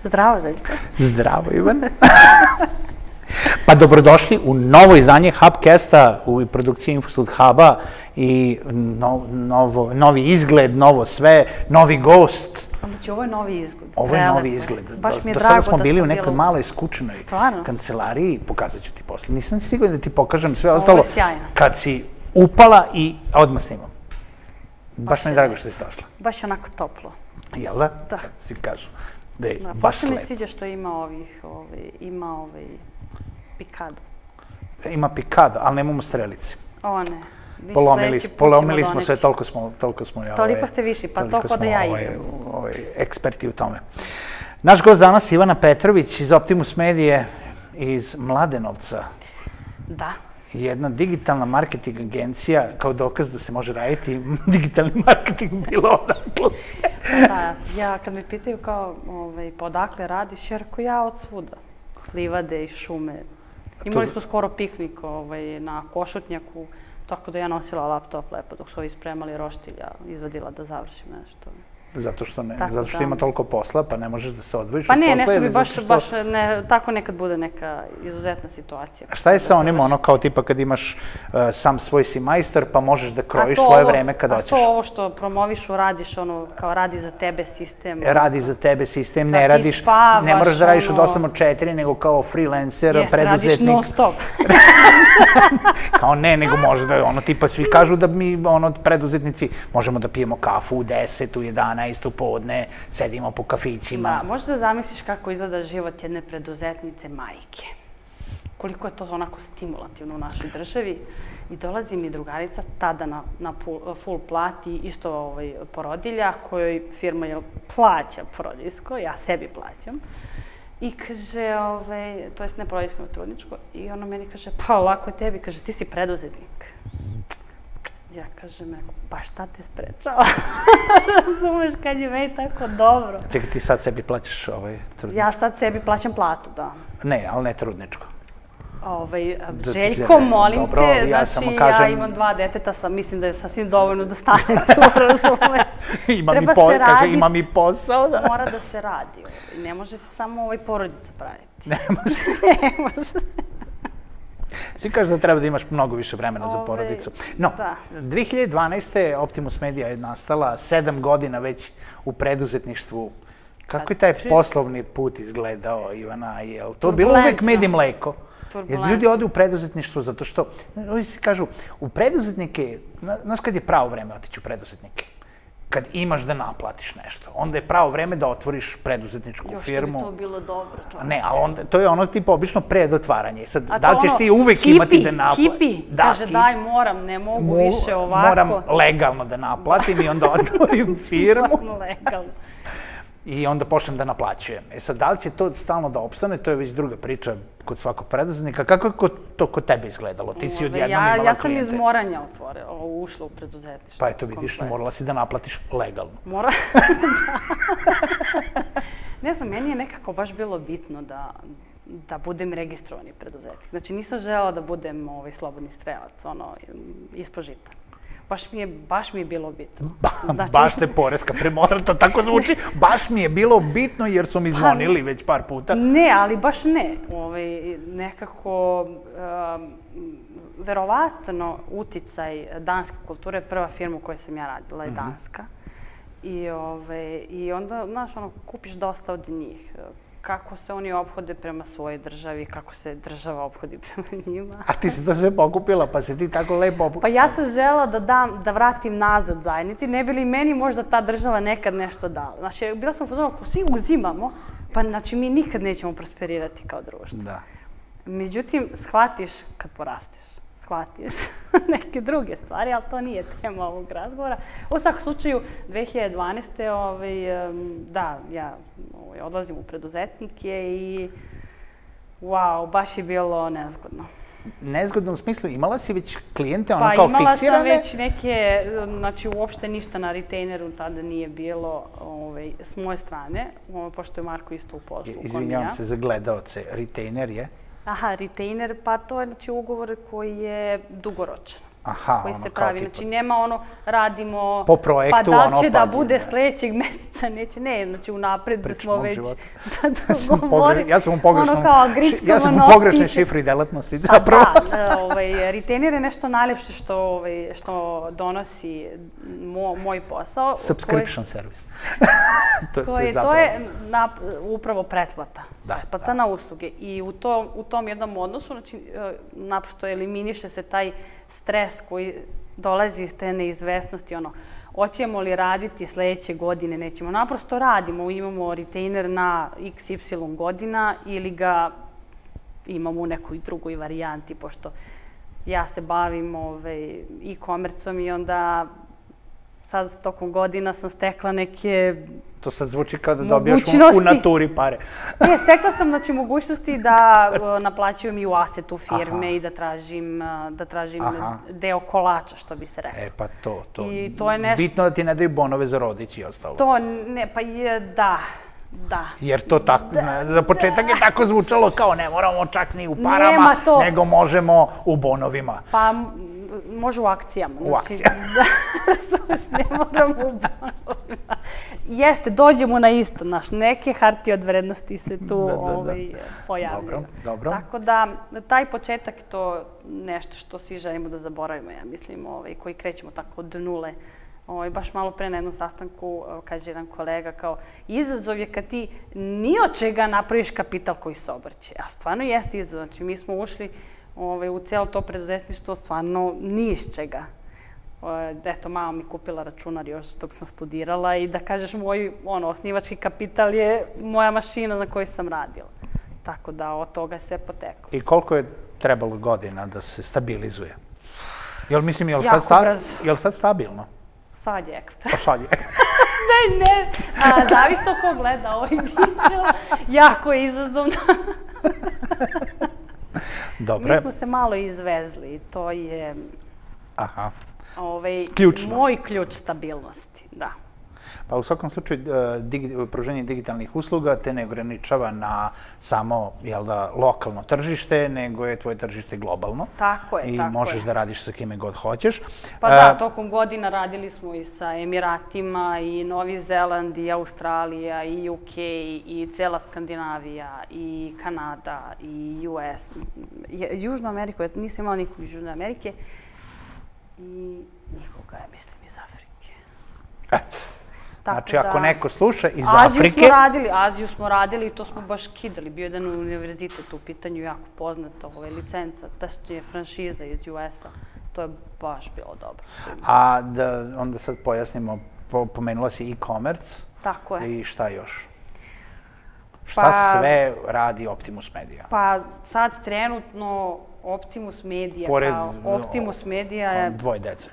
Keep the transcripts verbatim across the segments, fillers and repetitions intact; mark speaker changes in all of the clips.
Speaker 1: Zdravo, Željko.
Speaker 2: Zdravo, Ivane. Pa dobrodošli u novo izdanje Hubcasta u produkciji Infosud Huba i novi izgled, novo sve, novi gost.
Speaker 1: Znači, ovo je novi izgled.
Speaker 2: Ovo je novi izgled.
Speaker 1: Baš mi je
Speaker 2: do
Speaker 1: drago da
Speaker 2: sada smo bili u nekoj
Speaker 1: bilo...
Speaker 2: maloj skučenoj
Speaker 1: Stvarno?
Speaker 2: kancelariji, pokazat ću ti posle. Nisam stigla da ti pokažem sve ostalo.
Speaker 1: Ovo je sjajno.
Speaker 2: Kad si upala i odmah snimam. Baš mi je drago što si došla.
Speaker 1: Baš je onako toplo.
Speaker 2: Jel da?
Speaker 1: Da.
Speaker 2: Svi kažu da je
Speaker 1: Da,
Speaker 2: baš
Speaker 1: mi
Speaker 2: lepo.
Speaker 1: sviđa što ima ovih, ovaj, ima ovaj pikado.
Speaker 2: Ima pikado, ali nemamo strelice.
Speaker 1: O ne.
Speaker 2: Polomili, polomili smo sve, toliko smo... Toliko, smo,
Speaker 1: toliko ste viši, pa toliko da ja
Speaker 2: ovaj,
Speaker 1: igram.
Speaker 2: Ovaj, eksperti u tome. Naš gost danas Ivana Petrović iz Optimus Medije iz Mladenovca.
Speaker 1: Da.
Speaker 2: Jedna digitalna marketing agencija, kao dokaz da se može raditi digitalni marketing bilo odakle.
Speaker 1: Da, ja kad me pitaju kao, ovaj, pa odakle radiš, jer ko ja od svuda. S livade i šume. Imali smo skoro piknik ovaj, na Košutnjaku, tako da ja nosila laptop lepo dok su ovi spremali roštilja, izvadila da završim nešto.
Speaker 2: Zato što, ne,
Speaker 1: tako
Speaker 2: zato što
Speaker 1: da...
Speaker 2: ima toliko posla, pa ne možeš da se odvojiš
Speaker 1: pa
Speaker 2: od posla.
Speaker 1: Pa ne, nešto bi baš,
Speaker 2: što...
Speaker 1: baš ne, tako nekad bude neka izuzetna situacija.
Speaker 2: A šta je sa onim, ono kao tipa kad imaš uh, sam svoj si majstor, pa možeš da krojiš
Speaker 1: to,
Speaker 2: svoje vreme kad
Speaker 1: a
Speaker 2: hoćeš?
Speaker 1: A to ovo što promovišu, radiš ono, kao radi za tebe sistem.
Speaker 2: Radi za tebe sistem,
Speaker 1: da
Speaker 2: ne radiš,
Speaker 1: spavaš,
Speaker 2: ne moraš da radiš
Speaker 1: ono...
Speaker 2: od osam do četiri, nego kao freelancer,
Speaker 1: Jeste,
Speaker 2: preduzetnik.
Speaker 1: Jeste, radiš non stop.
Speaker 2: Kao ne, nego može da, ono, tipa svi kažu da mi, ono, preduzetnici, možemo da pijemo kafu u deset, u jedanaest, u podne, sedimo po kafićima.
Speaker 1: Da, možeš da zamisliš kako izgleda život jedne preduzetnice majke. Koliko je to onako stimulativno u našoj državi. I dolazi mi drugarica tada na, na full plati, isto ovaj, porodilja, kojoj firma je plaća porodiljsko, ja sebi plaćam. I kaže, ovaj, to jest ne porodiljsko, nego trudničko, i ona meni kaže, pa lako je tebi, kaže, ti si preduzetnik. Ja kažem, pa šta te sprečava? Razumeš kad je meni tako dobro.
Speaker 2: Čekaj, ti sad sebi plaćaš ovaj trudničko?
Speaker 1: Ja sad sebi plaćam platu, da.
Speaker 2: Ne, ali ne trudničko.
Speaker 1: Ovaj, Željko, molim
Speaker 2: dobro,
Speaker 1: te,
Speaker 2: ja
Speaker 1: znači
Speaker 2: samo kažem...
Speaker 1: ja imam dva deteta, sam, mislim da je sasvim dovoljno da stanem tu, razumeš.
Speaker 2: Ima
Speaker 1: Treba
Speaker 2: mi po,
Speaker 1: se
Speaker 2: kaže,
Speaker 1: radit,
Speaker 2: ima mi posao, da.
Speaker 1: Mora da se radi. Ovaj. Ne može se samo ovaj porodica praviti.
Speaker 2: Ne može.
Speaker 1: Ne može.
Speaker 2: Svi kažu da treba da imaš mnogo više vremena za porodicu. No, dve hiljade dvanaeste. Optimus Media je nastala, sedam godina već u preduzetništvu. Kako je taj poslovni put izgledao, Ivana? Je li to bilo uvek med i mleko? Jer ljudi ode u preduzetništvo zato što, ovi si kažu, u preduzetnike, znaš kad je pravo vreme otići u preduzetnike? Kad imaš da naplatiš nešto, onda je pravo vreme da otvoriš preduzetničku firmu.
Speaker 1: Još što bi to bilo dobro.
Speaker 2: Ne, ali onda, to je ono tipa obično pred otvaranje. Sad, da li ćeš ti uvek imati da naplatiš?
Speaker 1: Kipi, kaže daj moram, ne mogu više ovako.
Speaker 2: Moram legalno da naplatim i onda otvorim firmu.
Speaker 1: Moram legalno.
Speaker 2: I onda počnem da naplaćujem. E sad, da li će to stalno da opstane, to je već druga priča kod svakog preduzetnika. Kako je to kod tebe izgledalo? Ti si odjednom imala klijente.
Speaker 1: Ja sam iz Moranja ušla u preduzetništvo.
Speaker 2: Pa eto vidiš, morala si da naplatiš legalno.
Speaker 1: Mora, ne znam, meni je nekako baš bilo bitno da da budem registrovani preduzetnik. Znači, nisam želela da budem ovaj, slobodni strelac, ono, ispod žita. Baš mi je, baš mi je bilo bitno.
Speaker 2: Znači... Baš te poreska premora, to tako zvuči. Baš mi je bilo bitno jer su mi zvonili pa, već par puta.
Speaker 1: Ne, ali baš ne. Ovaj, nekako, um, verovatno, uticaj danske kulture, prva firma u kojoj sam ja radila je danska. Mm-hmm. I, ovaj, I onda, znaš, ono, kupiš dosta od njih. Kako se oni ophode prema svojoj državi, kako se država ophodi prema njima.
Speaker 2: A ti si to sve pokupila, pa se ti tako lepo opukupila?
Speaker 1: Pa ja sam žela da dam, da vratim nazad zajednici, ne bi li meni možda ta država nekad nešto dala. Znači, bila sam uzmano, ako svi uzimamo, pa znači mi nikad nećemo prosperirati kao društvo.
Speaker 2: Da.
Speaker 1: Međutim, shvatiš kad porasteš. Shvatiš neke druge stvari, ali to nije tema ovog razgovora. U svakom slučaju, dve hiljade dvanaeste. Ovaj, da, ja ovaj, odlazim u preduzetnike i wow, baš je bilo nezgodno.
Speaker 2: Nezgodno u smislu, imala si već klijente, ono kao
Speaker 1: fiksirane?
Speaker 2: Pa imala
Speaker 1: sam već neke, znači uopšte ništa na retaineru tada nije bilo ovaj, s moje strane, ovaj, pošto je Marko isto u poslu.
Speaker 2: Izvinjavam se za gledaoce, retainer je?
Speaker 1: Aha, retainer, pa to je znači ugovor koji je dugoročan. koji se pravi. Znači, nema ono, radimo,
Speaker 2: po projektu,
Speaker 1: pa da će da bude sledećeg meseca, neće, ne, znači, unapred da smo već da dogovorili.
Speaker 2: Ja sam u pogrešnoj šifri delatnosti,
Speaker 1: zapravo. Da, retainer je nešto najlepše što donosi moj posao.
Speaker 2: Subscription service.
Speaker 1: To je upravo pretplata. Pretplata na usluge. I u tom jednom odnosu, znači, naprosto eliminiše se taj stres koji dolazi iz te neizvesnosti, ono, hoćemo li raditi sledeće godine, nećemo. Naprosto radimo, imamo retainer na iks ipsilon godina ili ga imamo u nekoj drugoj varijanti, pošto ja se bavim e-komercom i onda sad tokom godina sam stekla neke
Speaker 2: To sad zvuči kao da dobijaš u naturi pare.
Speaker 1: Ne, stekla sam znači mogućnosti da naplaćujem i u asetu firme i da tražim deo kolača, što bi se rekao.
Speaker 2: E pa to, to. Bitno da ti ne daju bonove za rodić i ostalo.
Speaker 1: To ne, pa je, da. Da.
Speaker 2: Jer to tako, za početak je tako zvučalo kao ne moramo čak ni u parama, nego možemo u bonovima.
Speaker 1: Pa može u akcijama.
Speaker 2: U akcijama.
Speaker 1: Da, ne moramo u bonovima. Jeste, dođemo na isto, naš, neke hartije od vrednosti se tu pojavljaju.
Speaker 2: Dobro, dobro.
Speaker 1: Tako da, taj početak je to nešto što svi želimo da zaboravimo, ja mislim, koji krećemo tako od nule. Baš malo pre na jednom sastanku, kaže jedan kolega, kao izazov je kad ti ni od čega napraviš kapital koji se obrće. A stvarno jeste izazov. Znači, mi smo ušli u cijelo to preduzetništvo stvarno ni iz čega. Eto, mama mi kupila računar još dok sam studirala i da kažeš, moj osnivački kapital je moja mašina na kojoj sam radila. Tako da od toga je sve poteklo.
Speaker 2: I koliko je trebalo godina da se stabilizuje? Jel mislim, je li sad stabilno?
Speaker 1: Sad je ekstra.
Speaker 2: Pa sad je.
Speaker 1: Ne, ne. Zavisno ko gleda ovaj video. Jako je izazovno.
Speaker 2: Dobre.
Speaker 1: Mi smo se malo izvezli. To je
Speaker 2: ključno.
Speaker 1: Moj ključ stabilnosti, da.
Speaker 2: Pa u svakom slučaju, pružanje digitalnih usluga te ne ograničava na samo lokalno tržište, nego je tvoje tržište globalno.
Speaker 1: Tako je, tako je.
Speaker 2: I možeš da radiš sa kime god hoćeš.
Speaker 1: Pa da, tokom godina radili smo i sa Emiratima, i Novi Zeland, i Australija, i U K, i cela Skandinavija, i Kanada, i U S. Južnu Ameriku, nisam imala nikog iz Južne Amerike, i nikoga je, mislim, iz Afrike.
Speaker 2: Eto. Znači, ako neko sluša iz Afrike...
Speaker 1: Aziju smo radili, Aziju smo radili i to smo baš kidali. Bio jedan univerzitet u pitanju, jako poznata licenca, tačnije franšiza iz U S-a. To je baš bilo dobro.
Speaker 2: A da onda sad pojasnimo, pomenula si e-commerce.
Speaker 1: Tako je.
Speaker 2: I šta još? Šta sve radi Optimus Media?
Speaker 1: Pa sad trenutno Optimus Media kao Optimus Media je...
Speaker 2: Dvoje dece.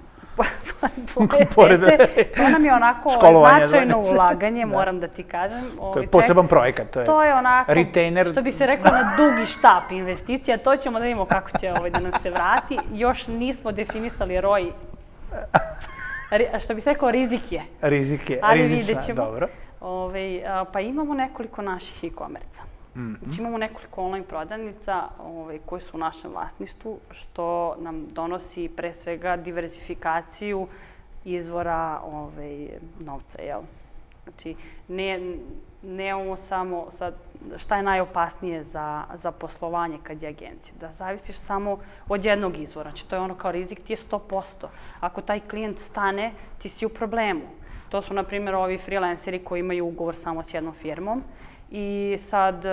Speaker 1: Dvoje dece. To nam je onako značajno ulaganje, moram da ti kažem.
Speaker 2: To je poseban projekat.
Speaker 1: To je onako, što bi se rekao, na dugi štap investicija. To ćemo da vidimo kako će da nam se vrati. Još nismo definisali R O I. Što bi se rekao, rizik je.
Speaker 2: Rizik je, rizična, dobro.
Speaker 1: Pa imamo nekoliko naših e-komerca. Znači imamo nekoliko online prodavnica koje su u našem vlasništvu, što nam donosi pre svega diversifikaciju izvora novca. Znači, nemamo samo sad šta je najopasnije za poslovanje kad je agencija. Da zavisiš samo od jednog izvora. Znači, to je ono kao rizik ti je sto posto. Ako taj klijent stane, ti si u problemu. To su, na primjer, ovi freelanceri koji imaju ugovor samo s jednom firmom i sad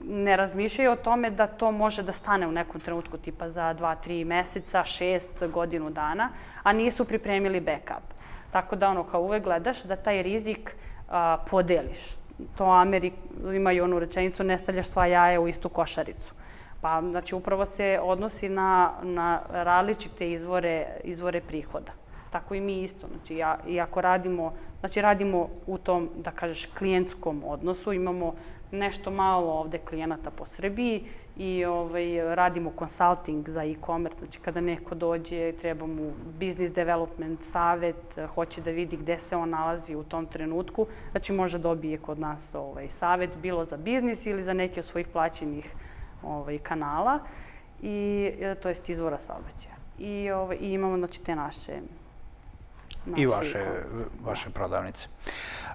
Speaker 1: ne razmišljaju o tome da to može da stane u nekom trenutku, tipa za dva, tri meseca, šest, godinu dana, a nisu pripremili backup. Tako da, ono, kao uvek gledaš da taj rizik podeliš. To Ameri imaju onu rečenicu, ne stavljaš sva jaja u istu košaricu. Pa, znači, upravo se odnosi na različite izvore prihoda. Tako i mi isto. Znači, iako radimo, znači, radimo u tom, da kažeš, klijentskom odnosu, imamo nešto malo ovde klijenata po Srbiji i radimo consulting za e-commerce. Znači, kada neko dođe, treba mu business development, savet, hoće da vidi gde se on nalazi u tom trenutku, znači, može dobije kod nas savet, bilo za biznis ili za neke od svojih plaćenih kanala, i to jest izvora saobraćaja. i, ovaj, i imamo znači, te naše...
Speaker 2: I vaše, vaše prodavnice.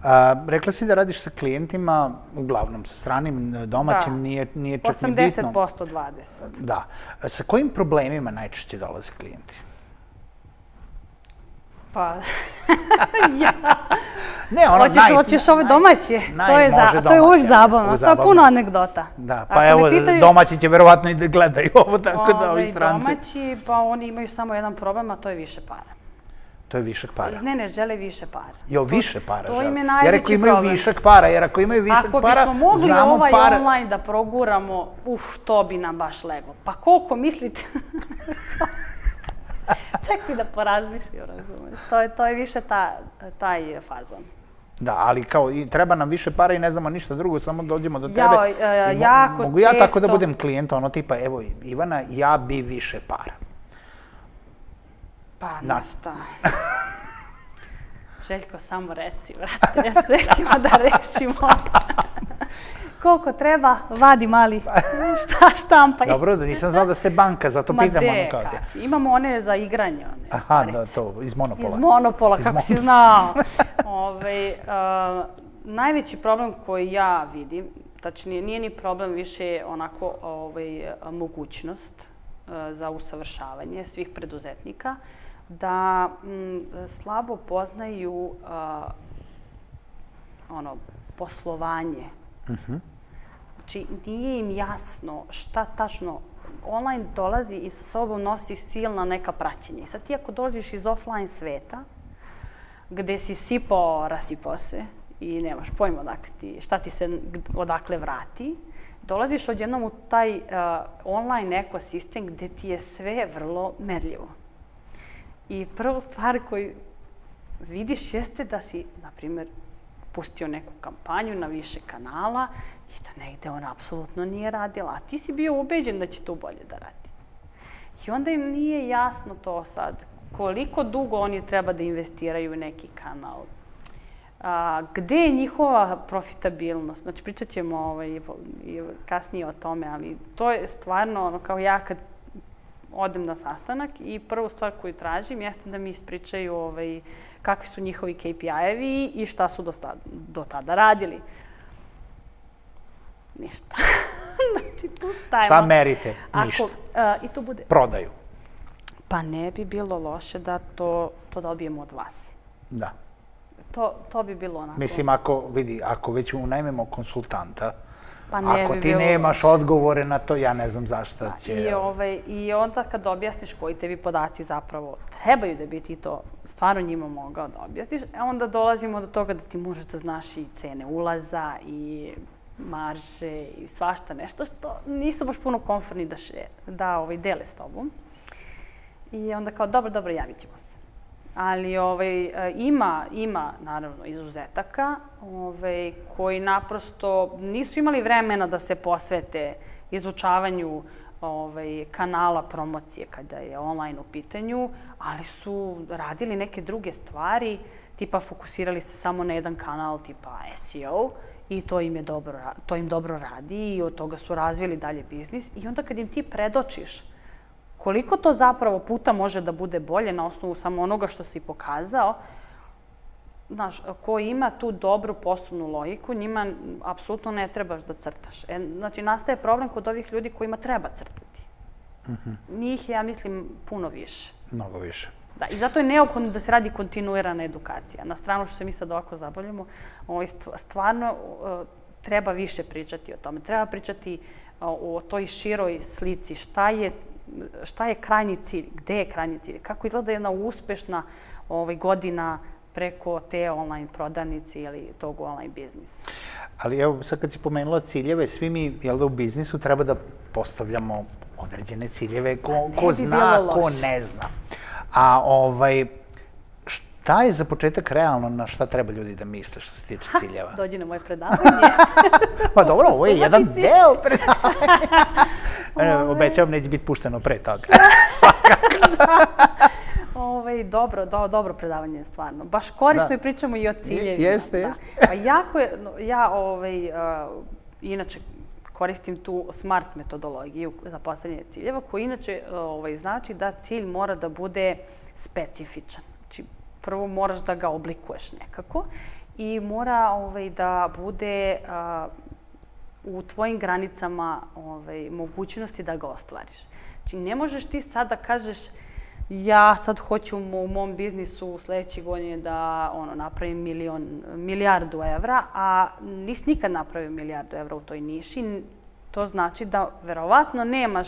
Speaker 2: A, rekla si da radiš sa klijentima, uglavnom sa stranim, domaćim,
Speaker 1: da.
Speaker 2: nije, nije čak ni bitno.
Speaker 1: osamdeset posto dvadeset.
Speaker 2: Da. Sa kojim problemima najčešće dolaze klijenti?
Speaker 1: Pa, ja.
Speaker 2: Ne, ono,
Speaker 1: hoćeš,
Speaker 2: naj,
Speaker 1: hoćeš ove domaće,
Speaker 2: naj,
Speaker 1: to, je za, to je uvijek zabavno, to je puno anegdota.
Speaker 2: Da, pa ako evo, pitaju, domaći će verovatno i da gledaju ovo, tako ove, da ovi stranci.
Speaker 1: Domaći, pa oni imaju samo jedan problem, a to je više para.
Speaker 2: To je višak para?
Speaker 1: Ne, ne, žele više para.
Speaker 2: Jo, više para
Speaker 1: to,
Speaker 2: žele.
Speaker 1: To im je najveći problem.
Speaker 2: Jer ako imaju problem. višak para, jer ako imaju višak
Speaker 1: ako
Speaker 2: para,
Speaker 1: znamo para... Ako bismo mogli ovaj
Speaker 2: para...
Speaker 1: online da proguramo, uf, to bi nam baš lego. Pa koliko mislite? Čekaj da porazmislim, razumiješ. To je, to je više ta, taj fazon.
Speaker 2: Da, ali kao i treba nam više para i ne znamo ništa drugo, samo dođemo do tebe.
Speaker 1: Jao, e,
Speaker 2: mo
Speaker 1: jako
Speaker 2: mogu ja
Speaker 1: često...
Speaker 2: tako da budem klijent, ono tipa, evo Ivana, ja bi više para.
Speaker 1: Pa, na šta? Željko, samo reci, vrate, sve ćemo da rešimo. Koliko treba, vadi mali, šta štampaj.
Speaker 2: Dobro, da nisam znao da ste banka, zato
Speaker 1: Ma
Speaker 2: pitam
Speaker 1: de,
Speaker 2: ono kao te.
Speaker 1: Imamo one za igranje. One,
Speaker 2: Aha, da, to, iz Monopola.
Speaker 1: Iz Monopola, iz kako mon... si znao. Ove, uh, najveći problem koji ja vidim, tačnije, nije ni problem više onako ovaj, mogućnost uh, za usavršavanje svih preduzetnika, da m, slabo poznaju uh, ono, poslovanje. Uh-huh. Znači, nije im jasno šta tačno online dolazi i sa sobom nosi silna neka praćenja. I sad ti ako dolaziš iz offline sveta, gde si sipao, rasipao se i nemaš pojma odakle ti, šta ti se odakle vrati, dolaziš odjednom u taj uh, online ekosistem gde ti je sve vrlo merljivo. I prvu stvar koju vidiš jeste da si, na primjer, pustio neku kampanju na više kanala i da negde ona apsolutno nije radila, a ti si bio ubeđen da će to bolje da radi. I onda im nije jasno to sad, koliko dugo oni treba da investiraju u neki kanal, a, gde je njihova profitabilnost. Znači, pričat ćemo ovaj, kasnije o tome, ali to je stvarno, ono, kao ja kad odem na sastanak i prvu stvar koju tražim jeste da mi ispričaju ovaj, kakvi su njihovi K P I-evi i šta su do, do tada radili. Ništa. Znači, tu stajemo.
Speaker 2: Šta merite? Ništa.
Speaker 1: Ako, uh, I to bude...
Speaker 2: Prodaju.
Speaker 1: Pa ne bi bilo loše da to, to dobijemo od vas.
Speaker 2: Da.
Speaker 1: To, to bi bilo onako...
Speaker 2: Mislim, ako, vidi, ako već unajmemo konsultanta,
Speaker 1: pa ne
Speaker 2: ako
Speaker 1: bi
Speaker 2: ti nemaš loše. Odgovore na to, ja ne znam zašto da, će...
Speaker 1: I, ovaj, I onda kad objasniš koji tebi podaci zapravo trebaju da bi ti to stvarno njima mogao da objasniš, onda dolazimo do toga da ti možeš da znaš i cene ulaza i marže i svašta nešto što nisu baš puno komfortni da, še, da ovaj, dele s tobom. I onda kao, dobro, dobro, javit ćemo se. Ali ovaj, ima, ima, naravno, izuzetaka ovaj, koji naprosto nisu imali vremena da se posvete izučavanju ovaj, kanala promocije kada je online u pitanju, ali su radili neke druge stvari, tipa fokusirali se samo na jedan kanal tipa S E O i to im, je dobro, to im dobro radi i od toga su razvili dalje biznis. I onda kad im ti predočiš koliko to zapravo puta može da bude bolje na osnovu samo onoga što si pokazao, znaš, ko ima tu dobru poslovnu logiku, njima apsolutno ne trebaš da crtaš. E, znači, nastaje problem kod ovih ljudi kojima treba crtati. Mm-hmm. Njih je, ja mislim, puno više.
Speaker 2: Mnogo više.
Speaker 1: Da, i zato je neophodno da se radi kontinuirana edukacija. Na stranu što se mi sad ovako zabavljamo, ovaj, stvarno uh, treba više pričati o tome. Treba pričati uh, o toj široj slici, šta je šta je krajnji cilj, gde je krajnji cilj, kako izgleda jedna uspešna ovaj, godina preko te online prodavnice ili tog online biznisa.
Speaker 2: Ali evo, sad kad si pomenula ciljeve, svi mi, jel da u biznisu treba da postavljamo određene ciljeve, ko, ko zna, ko ne zna. A ovaj, šta je za početak realno, na šta treba ljudi da misle što se tiče ciljeva?
Speaker 1: Dođi na moje predavanje.
Speaker 2: Pa dobro, ovo je jedan deo predavanja. Obećavam, neće biti pušteno pre toga. Svakako.
Speaker 1: Ove, dobro, do, dobro predavanje je stvarno. Baš korisno da. I pričamo i o ciljevima.
Speaker 2: Jeste, jeste.
Speaker 1: Pa jako je, ja ovaj, uh, inače koristim tu SMART metodologiju za postavljanje ciljeva, koji inače znači da cilj mora da bude specifičan. Znači, prvo moraš da ga oblikuješ nekako i mora da bude u tvojim granicama mogućnosti da ga ostvariš. Znači, ne možeš ti sad da kažeš ja sad hoću u mom biznisu u sljedećoj godini da napravim milijardu evra, a nisi nikad napravio milijardu evra u toj niši. To znači da verovatno nemaš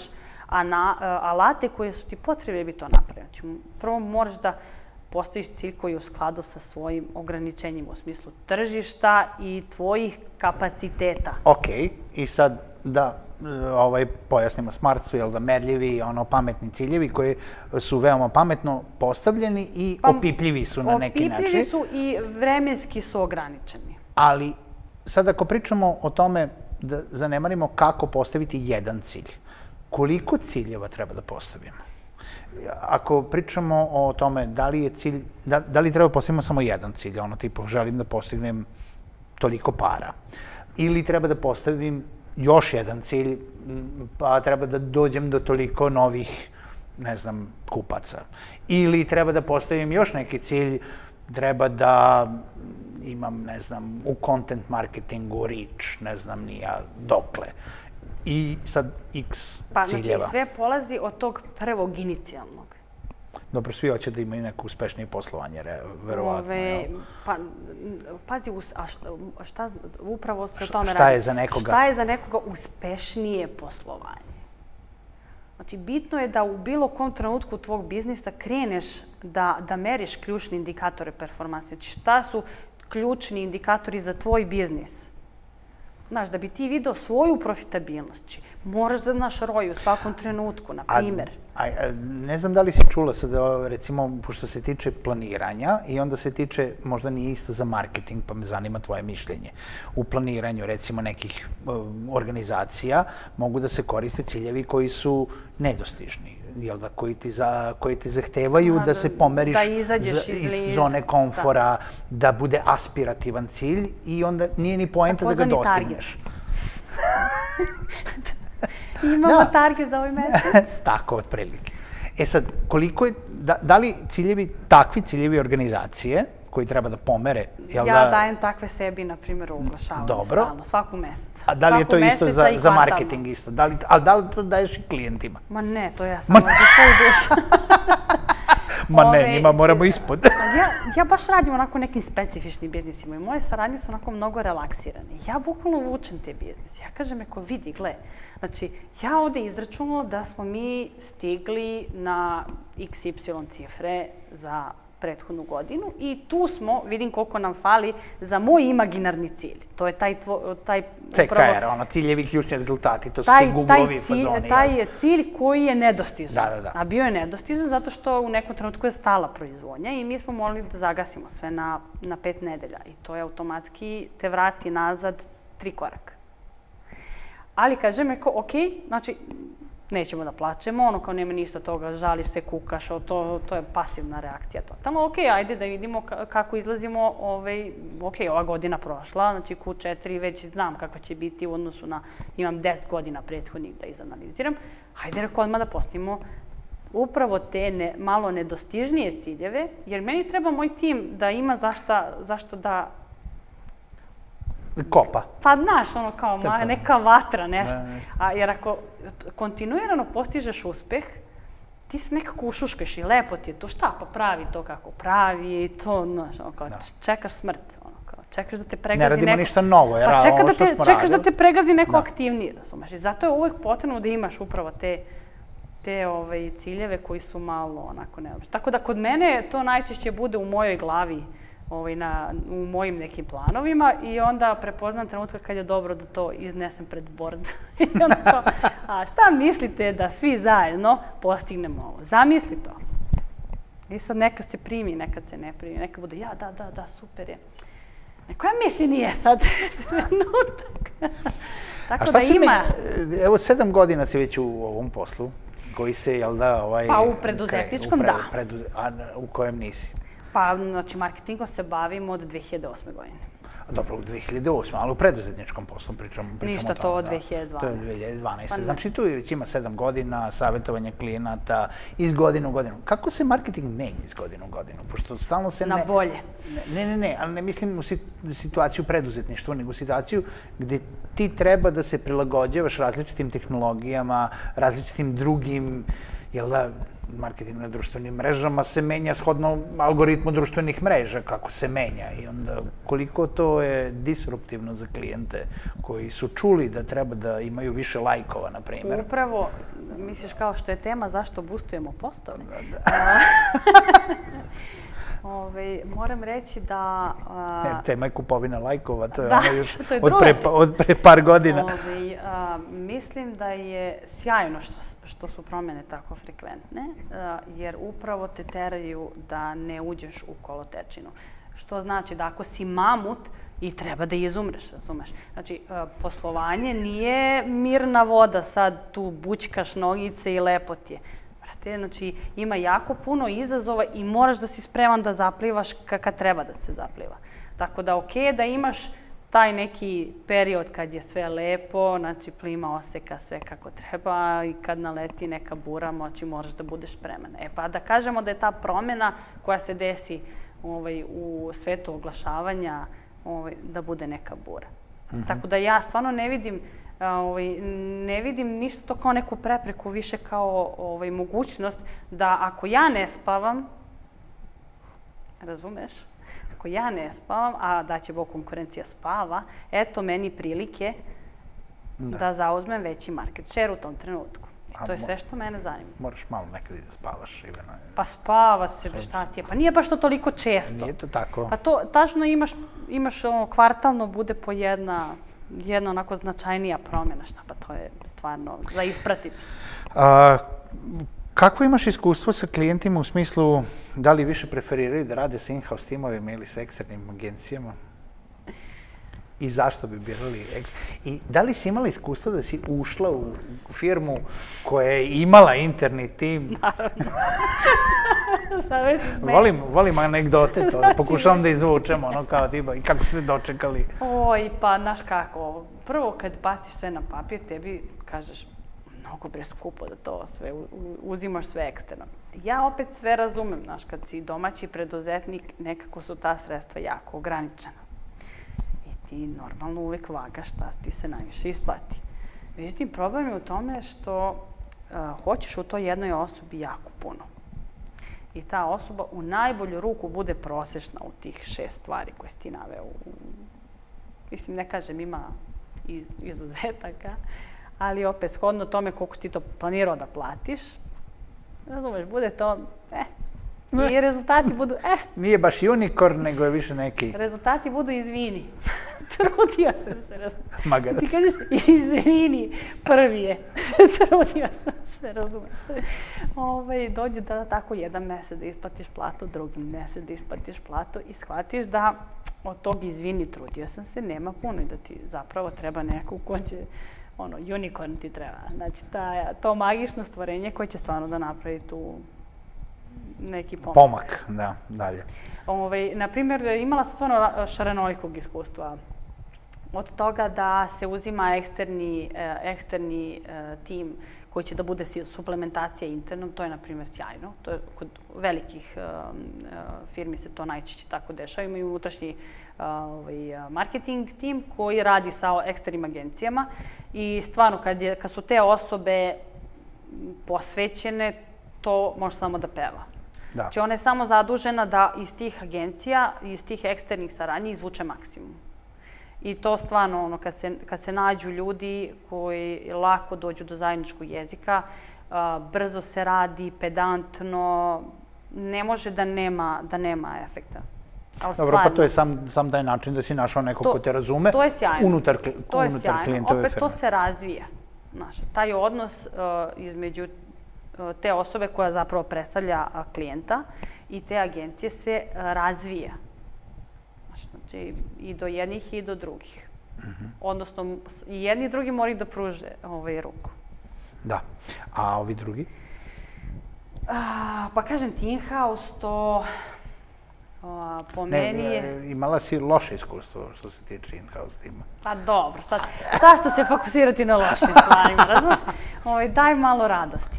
Speaker 1: alate koje su ti potrebne da bi to napravio. Znači, prvo moraš da postaviš cilj koji je u skladu sa svojim ograničenjima u smislu tržišta i tvojih kapaciteta.
Speaker 2: Ok, i sad da pojasnimo, SMART su merljivi, pametni ciljevi koji su veoma pametno postavljeni i opipljivi su na neki način.
Speaker 1: Opipljivi su i vremenski su ograničeni.
Speaker 2: Ali sad ako pričamo o tome da zanemarimo kako postaviti jedan cilj, koliko ciljeva treba da postavimo? Ako pričamo o tome da li je cilj, da li treba postavimo samo jedan cilj, ono tipa želim da postignem toliko para, ili treba da postavim još jedan cilj, pa treba da dođem do toliko novih, ne znam, kupaca. Ili treba da postavim još neki cilj, treba da imam, ne znam, u content marketingu reach, ne znam, nija dokle. I sad x ciljeva.
Speaker 1: Pa, znači, sve polazi od tog prvog inicijalnog.
Speaker 2: Dobro, svi hoće da imaju neko uspešnije poslovanje, verovatno.
Speaker 1: Pa, pazi, šta upravo se o tome radi?
Speaker 2: Šta je za nekoga?
Speaker 1: Šta je za nekoga uspešnije poslovanje? Znači, bitno je da u bilo kom trenutku tvog biznisa kreneš da meriš ključne indikatore performanse. Znači, šta su ključni indikatori za tvoj biznis? Znaš, da bi ti vidio svoju profitabilnost, moraš da znaš R O I u svakom trenutku, na primjer.
Speaker 2: Ne znam da li si čula sad, recimo, pošto se tiče planiranja i onda se tiče, možda nije isto za marketing, pa me zanima tvoje mišljenje. U planiranju, recimo, nekih organizacija mogu da se koriste ciljevi koji su nedostižni, koji ti zahtevaju da se pomeriš iz zone komfora, da bude aspirativan cilj i onda nije ni poenta da ga dostigneš.
Speaker 1: Imamo target za ovaj mesec.
Speaker 2: Tako, otprilike. E sad, koliko je, da li ciljevi, takvi ciljevi organizacije, koji treba da pomere...
Speaker 1: Ja dajem takve sebi, na primjer, u oglašavanju stalno, svakog meseca.
Speaker 2: A da li je to isto za marketing isto? Ali da li to daješ i klijentima?
Speaker 1: Ma ne, to ja samo za svoju dušu.
Speaker 2: Ma ne, njima moramo ispod.
Speaker 1: Ja baš radim onako nekim specifičnim biznisima i moje saradnje su onako mnogo relaksirane. Ja bukvalno vučem te biznise. Ja kažem, eko vidi, gle, znači, ja ovde izračunala da smo mi stigli na iks ipsilon cifre za prethodnu godinu i tu smo, vidim koliko nam fali za moj imaginarni cilj. To je taj...
Speaker 2: C K R, ono, ciljevi, ključni rezultati, to su ti Google-ovi fazoni.
Speaker 1: Taj je cilj koji je nedostizan. A bio je nedostizan zato što u nekom trenutku je stala proizvodnja i mi smo morali da zagasimo sve na pet nedelja i to je automatski te vrati nazad tri koraka. Ali kažem, eko, ok, znači, nećemo da plaćemo, ono kao nema ništa toga, žališ se, kukaš, to je pasivna reakcija totalno. Ok, ajde da vidimo kako izlazimo, ok, ova godina prošla, znači Q četiri već znam kakva će biti u odnosu na, imam deset godina prethodnih da izanaliziram, ajde reko odmah da postavimo upravo te malo nedostižnije ciljeve, jer meni treba moj tim da ima zašto da
Speaker 2: kopa.
Speaker 1: Pa, znaš, ono kao neka vatra, nešto. Jer ako kontinuirano postižeš uspeh, ti se nekako ušuškaš i lepo ti je to. Šta, pa pravi to kako pravi i to, znaš, ono kao čekaš smrt. Čekaš da te pregazi neko...
Speaker 2: Ne radimo ništa novo, jer ovo što smo radili.
Speaker 1: Čekaš da te pregazi neko aktivniji, razumeš. I zato je uvek potrebno da imaš upravo te ciljeve koji su malo onako neobični. Tako da kod mene to najčešće bude u mojoj glavi, u mojim nekim planovima i onda prepoznam trenutka kad je dobro da to iznesem pred bord. I onda kao, a šta mislite da svi zajedno postignemo ovo? Zamisli to. I sad nekad se primi, nekad se ne primi, nekad bude ja, da, da, da, super je. Neko ja misli nije sad trenutak. Tako da ima...
Speaker 2: Evo, sedam godina si već u ovom poslu, koji se, jel da, ovaj...
Speaker 1: Pa u preduzetničkom, da.
Speaker 2: A u kojem nisi?
Speaker 1: Pa, znači, marketingom se bavim od dve hiljade osme godine.
Speaker 2: Dobro, u dve hiljade osme, ali u preduzetničkom poslu pričamo o tome.
Speaker 1: Ništa to od dve hiljade dvanaeste.
Speaker 2: To je dve hiljade dvanaeste. Znači, tu već ima sedam godina, savjetovanje klijenata, iz godine u godinu. Kako se marketing menja iz godine u godinu? Pošto stalno se ne...
Speaker 1: Na bolje.
Speaker 2: Ne, ne, ne, ali ne mislim u situaciju preduzetništva, nego u situaciju gde ti treba da se prilagođavaš različitim tehnologijama, različitim drugim, jel da, marketing na društvenim mrežama se menja shodno algoritmu društvenih mreža, kako se menja i onda koliko to je disruptivno za klijente koji su čuli da treba da imaju više lajkova, na primjer.
Speaker 1: Upravo, misliš kao što je tema zašto boostujemo postove? Ove, moram reći da... A...
Speaker 2: Ne, tema je kupovina lajkova, to je
Speaker 1: da,
Speaker 2: ono još
Speaker 1: je
Speaker 2: od, pre, od pre par godina.
Speaker 1: Ove, a, mislim da je sjajno što, što su promjene tako frekventne, a, jer upravo te teraju da ne uđeš u kolotečinu. Što znači da ako si mamut i treba da izumreš, razumeš? Znači, a, poslovanje nije mirna voda, sad tu bućkaš nogice i lepo ti je. Znači, ima jako puno izazova i moraš da si spreman da zaplivaš kad treba da se zapliva. Tako da, okej je da imaš taj neki period kad je sve lepo, znači plima oseka sve kako treba i kad naleti neka bura, moći moraš da budeš spreman. E pa da kažemo da je ta promjena koja se desi ovaj, u svetu oglašavanja ovaj, da bude neka bura. Mm-hmm. Tako da ja stvarno ne vidim Ovaj, ne vidim ništa to kao neku prepreku, više kao ovaj, mogućnost da ako ja ne spavam, razumeš, ako ja ne spavam, a da će Bog konkurencija spava, eto meni prilike da, da zauzmem veći market share u tom trenutku. I to je sve što mene zanima.
Speaker 2: Moraš malo nekad i da spavaš, Ivana.
Speaker 1: Pa spava se, šta ti je, pa nije baš to toliko često.
Speaker 2: Nije to tako.
Speaker 1: Pa to, tačno imaš, imaš ono, kvartalno bude po jedna... jedna onako značajnija promjena, šta pa to je stvarno za ispratiti.
Speaker 2: A, kako imaš iskustvo sa klijentima u smislu da li više preferiraju da rade s in-house timovima ili s eksternim agencijama? I zašto bi birali? I da li si imala iskustvo da si ušla u firmu koja je imala interni tim?
Speaker 1: Naravno.
Speaker 2: volim, volim anegdote, to pokušavam da izvučem, ono kao tipa, i kako ste dočekali?
Speaker 1: Oj, pa, znaš kako, prvo kad baciš sve na papir, tebi kažeš, mnogo bre skupo da to sve, uzimaš sve eksterno. Ja opet sve razumem, znaš, kad si domaći preduzetnik, nekako su ta sredstva jako ograničena. I ti normalno uvijek vagaš šta ti se najviše isplati. Međutim, problem je u tome što uh, hoćeš u toj jednoj osobi jako puno. I ta osoba u najbolju ruku bude prosječna u tih šest stvari koje si ti naveo. Mislim, ne kažem, ima iz, izuzetaka, ali opet shodno tome koliko ti to planirao da platiš, razumeš, bude to, eh, i rezultati budu, eh.
Speaker 2: Nije baš unicorn, nego je više neki...
Speaker 1: Rezultati budu izvini. Trudio sam se, razumeš.
Speaker 2: Magarac.
Speaker 1: Ti kažeš, izvini, prvi je. Trudio sam se, razumeš. Ove, dođe da tako jedan mjesec da isplatiš platu, drugi mjesec da isplatiš platu i shvatiš da od tog izvini, trudio sam se, nema puno i da ti zapravo treba neko ko će, ono, unicorn ti treba. Znači, ta, to magično stvorenje koje će stvarno da napravi tu neki pomak.
Speaker 2: Pomak, da, dalje.
Speaker 1: Ove, naprimjer, imala sam stvarno šarenolikog iskustva. Od toga da se uzima eksterni, eksterni tim koji će da bude suplementacija internom, to je, na primjer, sjajno. To je kod velikih firmi se to najčešće tako dešava. Imaju unutrašnji marketing tim koji radi sa eksternim agencijama i stvarno, kad, je, kad su te osobe posvećene, to može samo da peva.
Speaker 2: Da.
Speaker 1: Znači, ona je samo zadužena da iz tih agencija, iz tih eksternih saradnji izvuče maksimum. I to stvarno, ono, kad se, kad se nađu ljudi koji lako dođu do zajedničkog jezika, uh, brzo se radi, pedantno, ne može da nema, da nema efekta. Ali
Speaker 2: dobro,
Speaker 1: stvarno,
Speaker 2: pa to je sam, sam taj način da si našao nekog
Speaker 1: to,
Speaker 2: ko te razume
Speaker 1: to je sjajno.
Speaker 2: unutar,
Speaker 1: to je
Speaker 2: unutar
Speaker 1: sjajno.
Speaker 2: klijentove
Speaker 1: Opet
Speaker 2: firme.
Speaker 1: to se razvija. Znaš, taj odnos uh, između uh, te osobe koja zapravo predstavlja uh, klijenta i te agencije se uh, razvija. Znači, i do jednih i do drugih. Mm-hmm. Odnosno, i jedni i drugi moraju da pruže ovaj, ruku.
Speaker 2: Da. A ovi drugi?
Speaker 1: A, pa kažem, ti in-house, to Po meni je...
Speaker 2: Imala si loše iskustvo što se tiče in-house tima.
Speaker 1: Pa dobro, sad, zašto se fokusirati na lošim stvarima, razumiješ? Daj malo radosti.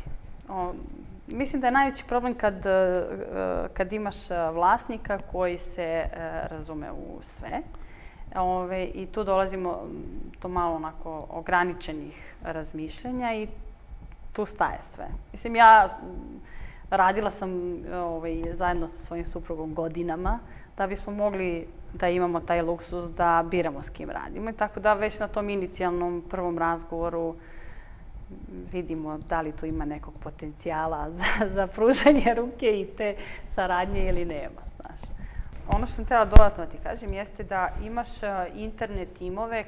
Speaker 1: Mislim da je najveći problem kad imaš vlasnika koji se razume u sve. I tu dolazimo do malo onako ograničenih razmišljanja i tu staje sve. Mislim, ja radila sam zajedno sa svojim suprugom godinama da bismo mogli da imamo taj luksus da biramo s kim radimo. I tako da već na tom inicijalnom prvom razgovoru vidimo da li tu ima nekog potencijala za pružanje ruke i te saradnje ili nema, znaš. Ono što sam htjela dodatno ti kažem jeste da imaš interne timove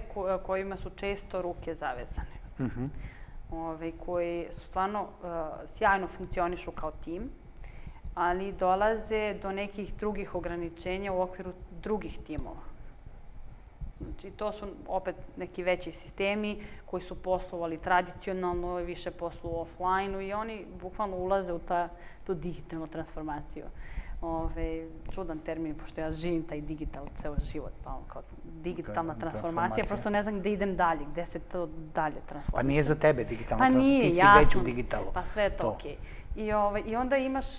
Speaker 1: kojima su često ruke zavezane. Koji stvarno sjajno funkcionišu kao tim, ali dolaze do nekih drugih ograničenja u okviru drugih timova. Znači, to su opet neki veći sistemi koji su poslovali tradicionalno i više posluju offline-u i oni bukvalno ulaze u tu digitalnu transformaciju. Čudan termin, pošto ja živim taj digital ceo život, kao digitalna transformacija, prosto ne znam gde idem dalje, gde se to dalje transformacija.
Speaker 2: Pa nije za tebe digitalna transformacija, ti si već u digitalu.
Speaker 1: Pa sve je to okej. I onda imaš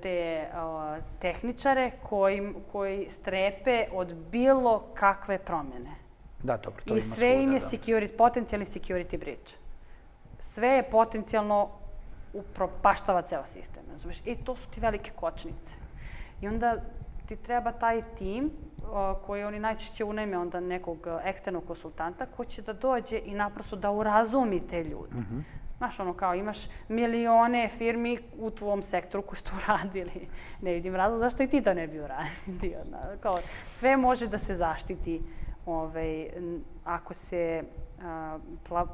Speaker 1: te tehničare koji strepe od bilo kakve promjene.
Speaker 2: Da, dobro, to ima svuda.
Speaker 1: I sve im je potencijalni security breach. Sve je potencijalno upropaštava ceo sistem, razumiješ? I to su ti velike kočnice. I onda ti treba taj tim koji oni najčešće unajme onda nekog eksternog konsultanta koji će da dođe i naprosto da urazumi te ljude. Znaš, ono kao imaš milione firmi u tvom sektoru koji su to uradili. Ne vidim razlog zašto i ti to ne bi uradio. Sve može da se zaštiti ako se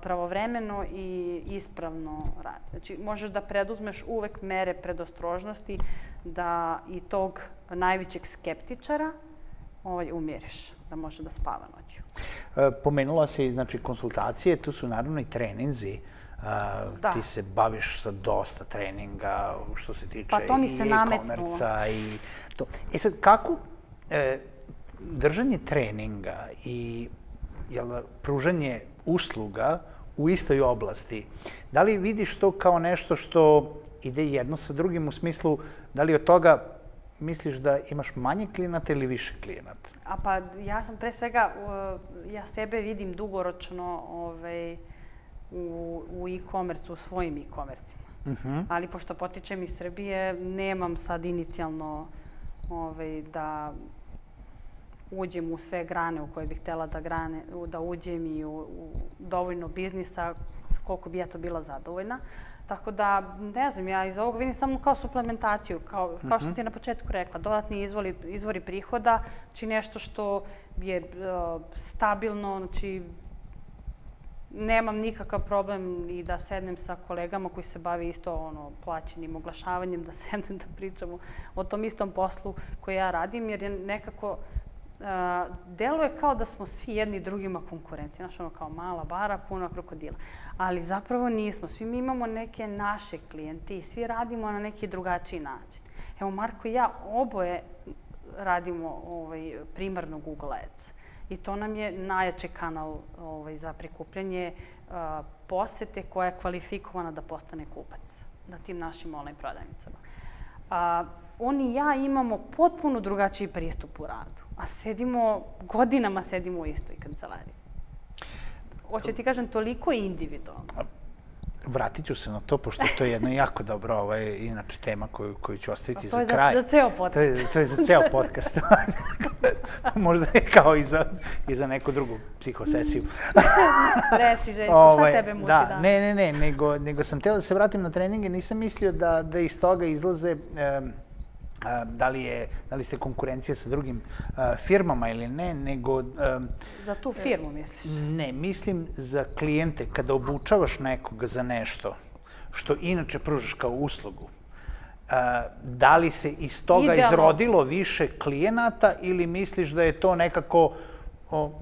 Speaker 1: pravovremeno i ispravno radi. Znači, možeš da preduzmeš uvek mere predostrožnosti da i tog najvećeg skeptičara umiriš, da može da spava noću.
Speaker 2: Pomenula si, znači, konsultacije, tu su naravno i treninzi. Ti se baviš sa dosta treninga što se tiče i e-komerca i to. E sad, kako držanje treninga i pružanje usluga u istoj oblasti, da li vidiš to kao nešto što ide jedno sa drugim u smislu, da li od toga misliš da imaš manje klijenata ili više klijenata?
Speaker 1: A pa ja sam pre svega, ja sebe vidim dugoročno u e-komercu, u svojim e-komercima. Ali pošto potičem iz Srbije, nemam sad inicijalno da uđem u sve grane u koje bih htjela da uđem i u dovoljno biznisa koliko bi ja to bila zadovoljna. Tako da, ne znam, ja iz ovog vidim samo kao suplementaciju, kao što ti je na početku rekla, dodatni izvori prihoda, znači nešto što je stabilno, znači nemam nikakav problem i da sednem sa kolegama koji se bavi isto plaćenim oglašavanjem, da sednem da pričamo o tom istom poslu koji ja radim, jer je nekako deluje kao da smo svi jedni drugima konkurenci. Znaš, ono kao mala bara, puna krokodila. Ali zapravo nismo. Svi mi imamo neke naše klijente i svi radimo na neki drugačiji način. Evo, Marko i ja oboje radimo primarno Google Ads. I to nam je najjači kanal za prikupljanje posete koja je kvalifikovana da postane kupac na tim našim online prodavnicama. On i ja imamo potpuno drugačiji pristup u radu, a sedimo, godinama sedimo u istoj kancelariji. Hoću ti kažem, toliko individualno.
Speaker 2: Vratit ću se na to, pošto to je jedna jako dobra, inače, tema koju ću ostaviti za kraj.
Speaker 1: To je za ceo podcast.
Speaker 2: To je za ceo podcast. Možda je kao i za neku drugu psihosesiju.
Speaker 1: Reci, Željko, šta tebe muči danas?
Speaker 2: Ne, ne, ne, nego sam htjela da se vratim na treninge. Nisam mislio da iz toga izlaze da li ste konkurencija sa drugim firmama ili ne, nego...
Speaker 1: Za tu firmu misliš?
Speaker 2: Ne, mislim za klijente. Kada obučavaš nekoga za nešto što inače pružaš kao uslugu, da li se iz toga izrodilo više klijenata ili misliš da je to nekako